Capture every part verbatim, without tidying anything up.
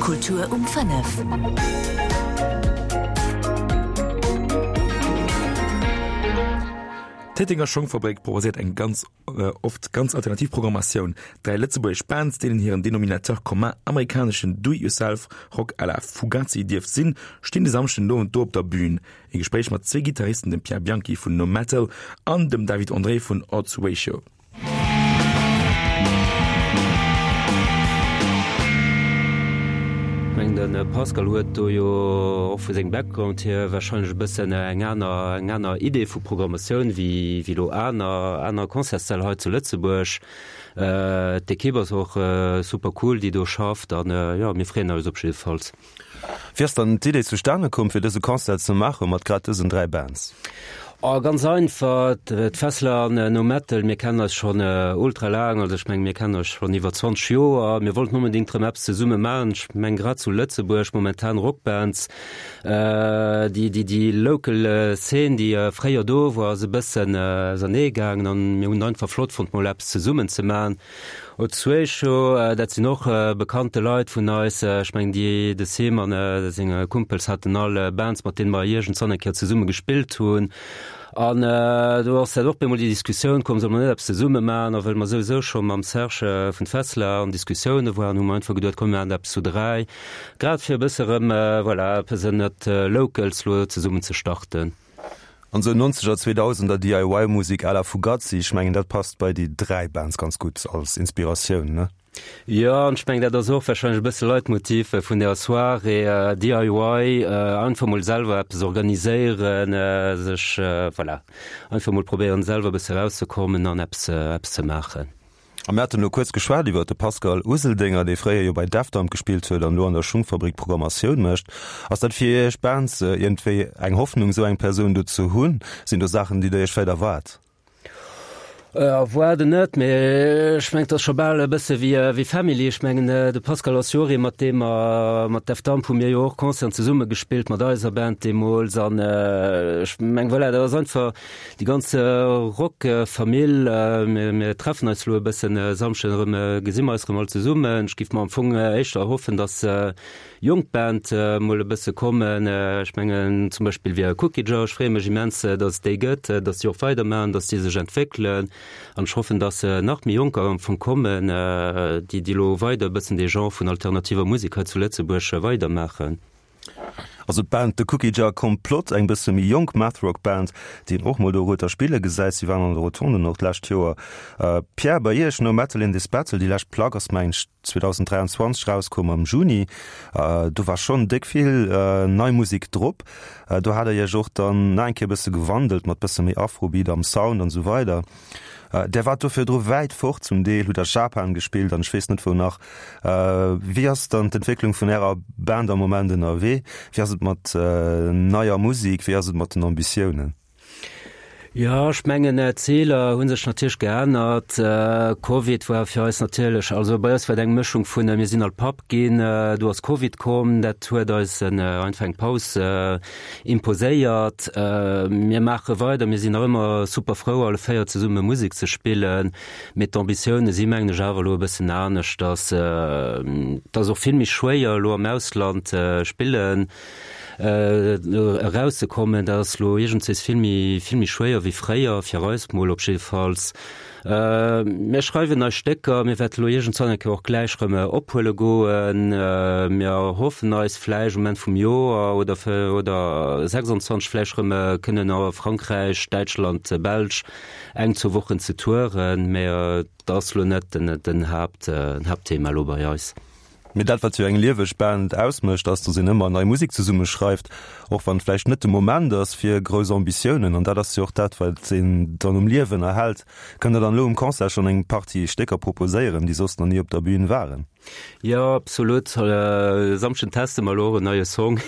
Kultur um fënnef. D'Téitenger Schongfabrik proposéiert eng ganz oft ganz alternativ Programmatioun. Dräi lëtzebuergesch Bands, deenen hiren Denominateur commun amerikaneschen Do-it-yourself-Rock à la Fugazi dierft sinn, stinn de Samschden den Owend do op der Bün. E Gespréich mat zwee Gittaristen, dem Pierre Bianchi vun No Metal an dem David André vun Odds Ratio. Ech mengen de Pascal huet do jo och vu sengem Background hier wahrscheinlech e bëssen eng aner, eng aner Idee vu Programmatioun wéi, wéi elo aner, aner Concertssäll hei zu Lëtzebuerg. D'Ekipp ass och super cool, déi do schafft an jo, mir freeën eis op jiddefalls. Wéi ass dann d'Idee zustane komm, fir dëse Concert ze maache mat grad dësen dräi Bands? Oh, ganz einfach, d'Fessler an No Metal, mir kennen eis schonn ultra laang, also ech mengen, mir kennen eis schonn iwwer zwanzeg Joer. Mir wollten onbedéngt erëm eppes zesumme maachen. Ech mengen, grad zu Lëtzebuerg momentan Rockbands, déi, déi, déi local Szene, déi fréier do war, ass e bëssen ausernee gaangen an mir hunn et einfach flott fonnt, mol eppes zesummen ze maachen. Ozuecho, dat sinn och bekannte Leit vun eis. Ech mengen, déi, de Sim an seng Kumpels haten all Bands, mat deene mer iergendzwann eng Kéier zesumme gespillt hunn. An do ass dat och bemol déi Diskussioun komm, solle mer net eppes zesumme maachen? A well mer souwisou scho mam Serge vun Fessler an Diskussioune waren, hu mer einfach geduet, komm mir maachen eppes zu dräi, grad fir e bësse erëm, voilà, eppes ënnert Locals lo zesummen ze starten. An sou Nonzeger, Zweedausender D I Y Musek à la Fugazi, ech mengen dat passt bei déi dräi Bands ganz gutt als Inspiratioun, ne? Jo, an ech mengen dat ass och warscheinlech e bësse Leitmotiv vun der Soirée, D I Y, einfach mol selwer eppes organiséieren, sech, voilà, einfach mol probéieren selwer e bësse erauszekommen an eppes, eppes ze maachen. A mir haten elo kuerz geschwat iwwer de Pascal Useldinger, dee fréier jo bei Def Dump gespillt huet an elo an der Schungfabrik Programmatioun mécht. Ass dat fir Iech Bands iergendwéi eng Hoffnung, esou eng Persoun do ze hunn? Sinn do Saachen, déi Der Iech vläicht erwaart? Erwaarden net, mee ech mengen, et ass scho bal e bësse wéi wéi Family. Ech mengen, de Pascal ass jo och ee mat deem mer, mat Def Dump hu mir jo och Concerten zesumme gespillt mat eiser Band deemools an ech mengen, voilà, dat ass einfach, Déi ganz Rock-Famill, mir treffen eis elo e bëssen e Samschden erëm, gesi mer eis erëm all zesummen. Ech géif mer am Fong éischter erhoffen, datt jonk Band mol e bësse kommen. Ech mengen zum Beispill wéi Cookie Jar, ech freeë mech immens, datt et déi gëtt, datt déi och weidermaachen, datt déi sech entwéckelen. An ech hoffen, datt nach méi Jonker am Fong kommen, déi déi elo weider e bëssen dee Genre vun alternativer Musek hei zu Lëtzebuerg weidermaachen. Also d'Band The Cookie Jar Complot, eng bësse méi jonk Math-Rock Band, déi een och mol do Rueter spille gesäit. Si waren an der Rotonden och d'lescht Joer. Pierre, bei iech No Metal in This Battle, déi lescht Plack ass mengen ech zweedausend dräianzwanzeg rauskomm am Juni. Do war schonn déck vill nei Musek drop. Do hat der iech och dann nach eng Kéier bësse gewandelt mat bësse méi Afrobeat am Sound an esou weider. Där waart do virdru wäit fort, zum Deel hutt der Japan gespillt an ech weess net wou nach. Wéi ass dann d'Entwécklung vun Ärer Band am Moment ënnerwee? Wéi ass et mat neier Musek, wéi ass et mat den Ambitiounen? Jo, ech mengen d'Ziler hu sech natierlech geännert. Covid war fir eis natierlech, also bei eis war et eng Mëschung vun, mir sinn all Papp ginn, du ass Covid komm, dat huet eis einfach eng Paus imposéiert. Mir maache weider, mir sinn nach ëmmer super frou, alle véier zesumme Musek ze spillen, mee d'Ambitioune si mengen ech awer elo e bëssen aneschters. Et ass och vill méi schwéier elo am Ausland spillen erauszekommen. Dat ass elo iergendwéis vill méi, vill méi schwéier wéi fréier, fir eis mol op jiddefalls. Mir schreiwen nei Stécker, mir wäerte lo iergendzwann eng Kéier och gläich rëm ophuele goen. Mir hoffen eis vläicht um Enn vum Joer oder oder sechsundzwanzeg vläicht rëm kënnen a Frankräich, Däitschland, Belsch eng, zwou Wochen ze touren, mä et ass lo net den Haaptthema elo bei eis. Mee dat, wat jo eng lieweg Band ausmécht, ass, datt een ëmmer nei Musek zesumme schreift, och wann et vläicht net de Moment ass fir grouss Ambitiounen. An dat ass jo och dat, wat een dann um Liewen erhält. Kënnt Der dann elo um Concert schonn eng Partie Stécker proposéieren, déi soss nach ni op der Bün waren? Jo, absolut. E Samschden teste mer elo och en neie Song.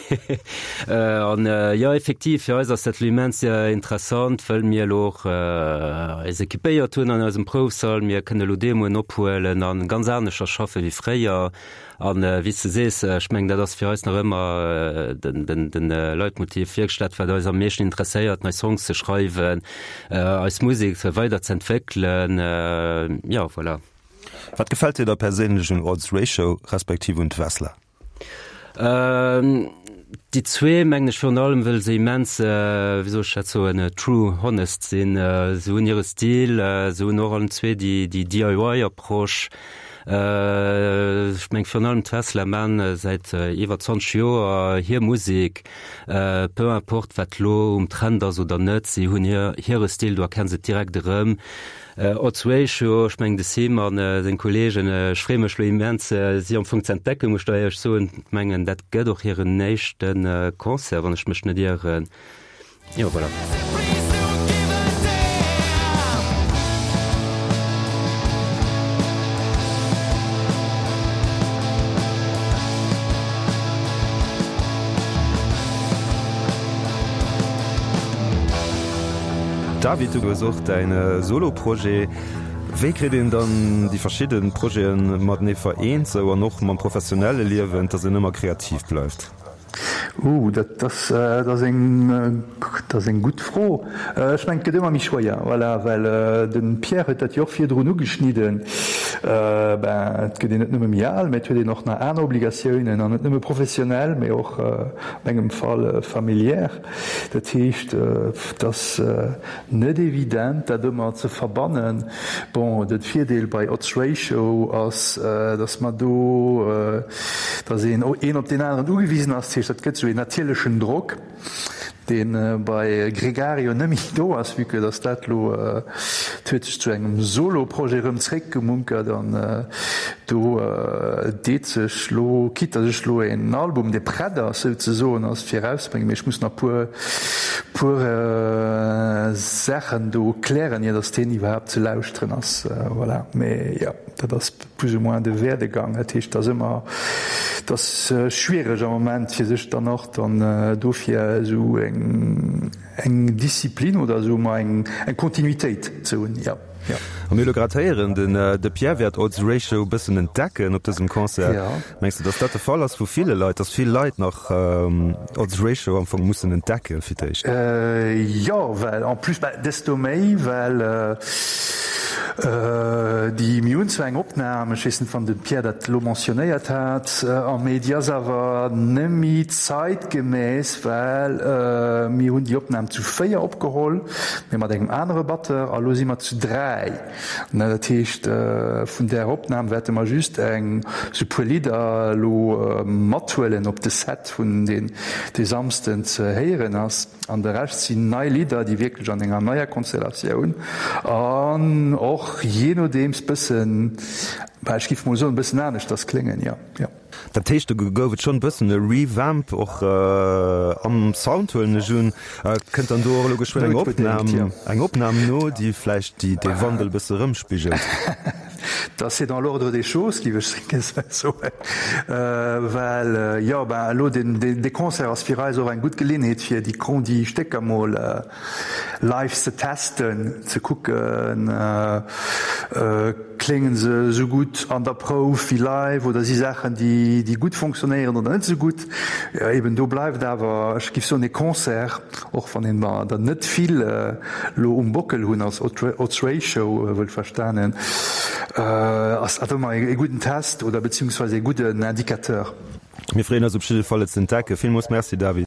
An jo, effektiv, fir eis ass dat elo immens interessant, wëll mir elo och eis equipéiert hunn an eisem Proufsall. Mir kënne elo Demoen ophuelen a ganz aneschters schaffe wéi fréier. An wéi s de sees, ech mengen, dat ass fir eis nach ëmmer den Leitmotiv, wierklech dat, wat eis am meeschten interesséiert, nei Songs ze schreiwen, eis Musek weider z'entwéckelen. Jo, voilà. Wat gefält dir da perséinlech un Odds Ratio respektiv un d'Wessler? Déi zwee mengen ech virun allem, wëll se immens, wéi soll ech dat soen, true, honest sinn. Se hunn hire Stil, se hunn och allen zwee déi DIY-Approche. Ech meng virun allem d'Fessler man säit iwwer zwanzeg Joer hir Musek, peu importe wat lo um Trend ass oder net, si hunn hire Stil, do erkenns et direkt erëm. Odds Ratio, ech mengen de Sim an seng Kollegen, ech freeë mech lo immens si am Fong ze entdecken, muss ech der éierlech soen. Ech mengen dat gëtt och hiren éischte Concert, wann ech mech net ieren. Jo, voilà. David, du hues och däin Solo-Projet. Wéi kritt een dann déi verschidde Projete matenee vereent, sou an och mam professionelle Liewen, dass een ëmmer kreativ bleift? Ooh, dat ass, dat ass eng, dat ass eng gutt Fro. Ech mengen, et gëtt ëmmer méi schwéier, voilà, well de Pierre huet dat jo och virdrun ugeschnidden. Ben, et gëtt een net nëmme méi al, mä et huet een och nach aner Obligatiounen, an net nëmme professionell, mä och a mengem Fall familiär. Dat heescht, et ass net evident, dat ëmmer ze verbannen. Bon, de Virdeel bei Odds Ratio ass, datt mer do, datt een een op deen aneren ugewisen ass. Dat heescht, dat gëtt esou een natierlechen Drock, dee bei Gregario net méi do ass, vue que datt dat elo, et huet sech zu engem Solo-Projet erëm zréckgemunkert an do deet sech elo, quitte datt ech elo een Album, dee prett ass souzesoen ass, fir erauszebréngen, mee ech muss nach puer, puer Saachen do klären, ier datt deen iwwerhaapt ze lauschteren ass. Voilà, mee jo, dat ass plus ou moins de Werdegang. Dat heescht, et ass ëmmer, et ass schwiereg am Moment, fir sech dann och dann dofir esou eng, eng Disziplin oder esou emmer eng, eng Kontinuitéit ze hunn, jo, jo. A mir hu lo grad héieren, den de Pierre wäert Odds Ratio e bëssen entdecken op dësem Concert. Jo. Mengs de, datt dat de Fall ass vu ville Leit, datt vill Leit nach Odds Ratio am Fong mussen entdecke fir d'éischt? Jo, well en plus, bah, desto méi, well Déi, mir hunn zwar eng Opnam, ech weess net, wann de Pierre dat elo mentionnéiert hat, mee déi ass awer nemmi zeitgemäss, well mir hunn déi Opnam zu véier opgeholl, mee mat engem anere Batteur, a lo si mer zu dräi. Dat heescht, vun där Opnam wäerte mer just eng, sou puer Lidder elo mathuelen op de Set vun deen dee Samsden ze héieren ass. An de Rescht sinn nei Lidder, déi wierklech an enger neier Konstellatioun an och jee nodeems bëssen, bah, ech giff mol soen, bëssen aneschters kléngen, jo, jo. Dat heescht, do gouf et schonn e bëssen e Revamp och am Sound, huelen ech un. Kënnt dann do och elo geschwënn eng Opnam, eng Opnam no, déi vläicht déi dee Wandel e bësse erëmspigelt? Dat c'est dans l'ordre des choses, géif ech soen, well, jo, ben elo dee Concert ass fir eis och eng gutt Geleeënheet, fir déi déi Stécker mol live ze testen, ze kucken, klénge se esou gutt an der Prouf wéi live oder si Saachen, déi gutt fonctionnéieren oder net esou gutt. Eben do bleift awer, ech géif soen, e Concert, och wann een der net vill elo um Bockel hunn als Odds Ratio, wuel verstanen, ass dat ëmmer e gudden Test oder beziehungsweise e gudden Indicateur. Mir freeën eis op jidde Fall et ze entdecken. Villmools Merci David.